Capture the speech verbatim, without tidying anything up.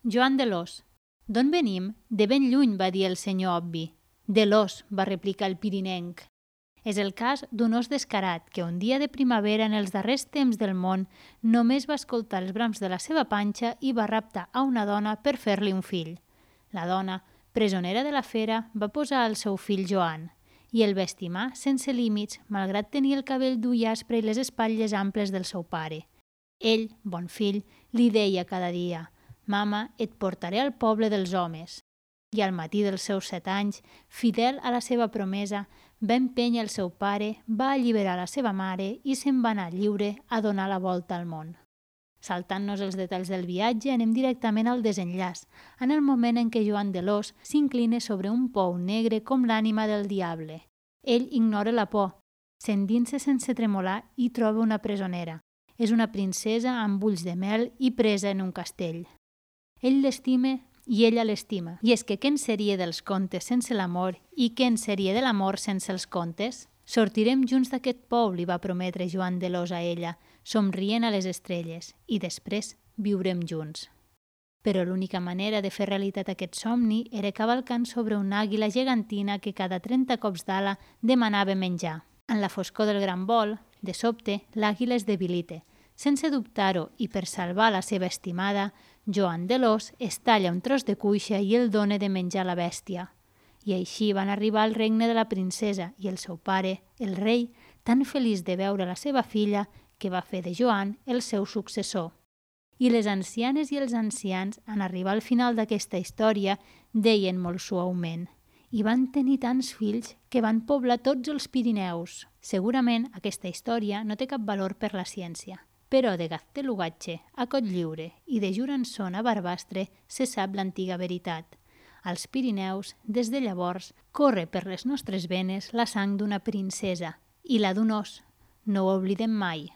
Joan de l'Os. D'on venim? De ben lluny, va dir el senyor obvi. De l'os, va replicar el pirinenc. És el cas d'un os descarat que un dia de primavera en els darrers temps del món només va escoltar els brams de la seva panxa i va raptar a una dona per fer-li un fill. La dona, presonera de la fera, va posar al seu fill Joan i el va estimar sense límits, malgrat tenir el cabell dur i aspre i les espatlles amples del seu pare. Ell, bon fill, li deia cada dia: «Mama, et portaré al poble dels homes». I al matí dels seus set anys, fidel a la seva promesa, va empènyer el seu pare, va alliberar la seva mare i se'n va anar lliure a donar la volta al món. Saltant-nos els detalls del viatge, anem directament al desenllaç, en el moment en què Joan de l'Os s'inclina sobre un pou negre com l'ànima del diable. Ell ignora la por, s'endinsa sense tremolar i troba una presonera. És una princesa amb ulls de mel i presa en un castell. Ell l'estima i ella l'estima. I és que què en seria dels contes sense l'amor i què en seria de l'amor sense els contes? Sortirem junts d'aquest pou, li va prometre Joan de l'Os a ella, somrient a les estrelles, i després viurem junts. Però l'única manera de fer realitat aquest somni era cavalcant sobre una àguila gegantina que cada trenta cops d'ala demanava menjar. En la foscor del gran vol, de sobte, l'àguila es debilita. Sense dubtar-ho i per salvar la seva estimada, Joan de l'Os es talla un tros de cuixa i el dona de menjar a la bèstia. I així van arribar al regne de la princesa i el seu pare, el rei, tan feliç de veure la seva filla que va fer de Joan el seu successor. I les ancianes i els ancians, en arribar al final d'aquesta història, deien molt suaument: «I van tenir tants fills que van poblar tots els Pirineus». Segurament aquesta història no té cap valor per la ciència, però de Gaztelugatxe a Cotlliure i de Jurançon a Barbastre se sap l'antiga veritat. Als Pirineus, des de llavors, corre per les nostres venes la sang d'una princesa i la d'un os. No ho oblidem mai.